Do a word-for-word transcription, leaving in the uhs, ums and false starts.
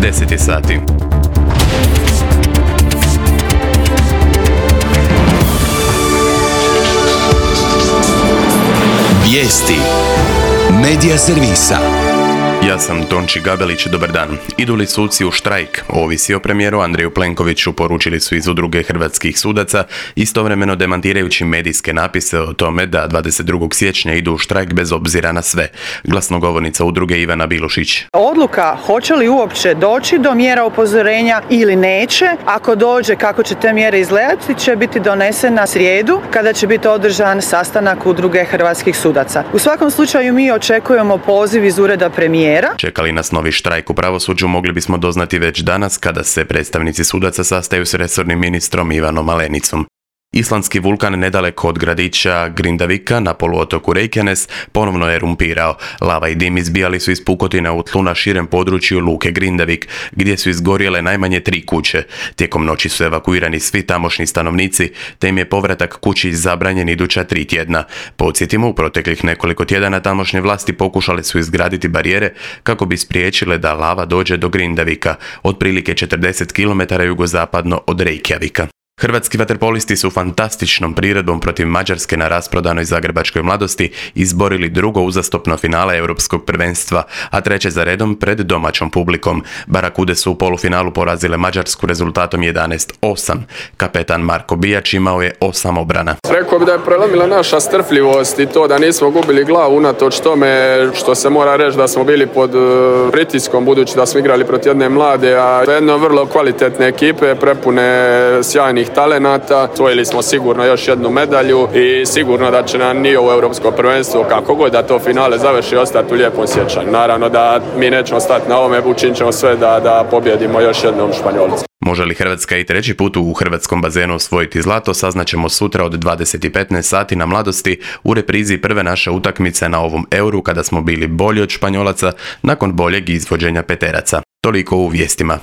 deset sati. Vijesti Medija servisa. Ja sam Tonči Gabelić, dobar dan. Idu li suci u štrajk? Ovisi o premijeru Andreju Plenkoviću, poručili su iz Udruge hrvatskih sudaca, istovremeno demantirajući medijske napise o tome da dvadeset drugog siječnja idu u štrajk bez obzira na sve. Glasnogovornica udruge Ivana Bilušić. Odluka hoće li uopće doći do mjera upozorenja ili neće, ako dođe kako će te mjere izgledati, će biti donesena srijedu kada će biti održan sastanak Udruge hrvatskih sudaca. U svakom slučaju mi očekujemo poziv iz ureda premijera. Čekali nas novi štrajk u pravosuđu mogli bismo doznati već danas kada se predstavnici sudaca sastaju s resornim ministrom Ivanom Malenicom. Islandski vulkan nedaleko od gradića Grindavika na poluotoku Reykjanes ponovno je erumpirao. Lava i dim izbijali su iz pukotina u tlu na širem području luke Grindavik, gdje su izgorjele najmanje tri kuće. Tijekom noći su evakuirani svi tamošnji stanovnici, te im je povratak kući zabranjen iduća tri tjedna. Podsjetimo, u proteklih nekoliko tjedana tamošnje vlasti pokušale su izgraditi barijere kako bi spriječile da lava dođe do Grindavika, otprilike četrdeset kilometara jugozapadno od Reykjavika. Hrvatski vaterpolisti su fantastičnom priredbom protiv Mađarske na rasprodanoj zagrebačkoj Mladosti izborili drugo uzastopno finale europskog prvenstva, a treće za redom pred domaćom publikom. Barakude su u polufinalu porazile Mađarsku rezultatom jedanaest osam. Kapetan Marko Bijač imao je osam obrana. Rekao bi da je prelomila naša strpljivost i to da nismo gubili glavu unatoč tome što se mora reći da smo bili pod pritiskom budući da smo igrali protiv jedne mlade, a jedno vrlo kvalitetne ekipe prepune sjajnih talenata. Osvojili smo sigurno još jednu medalju i sigurno da će nam i ovo europsko prvenstvo, kako god da to finale završi, ostati u lijepom sjećanju. Naravno da mi nećemo stati na ovome, učinit ćemo sve da, da pobjedimo još jednom Španjolcu. Može li Hrvatska i treći put u hrvatskom bazenu osvojiti zlato, saznaćemo sutra od dvadeset i petnaest sati na Mladosti u reprizi prve naše utakmice na ovom euru kada smo bili bolji od Španjolaca nakon boljeg izvođenja peteraca. Toliko u vijestima.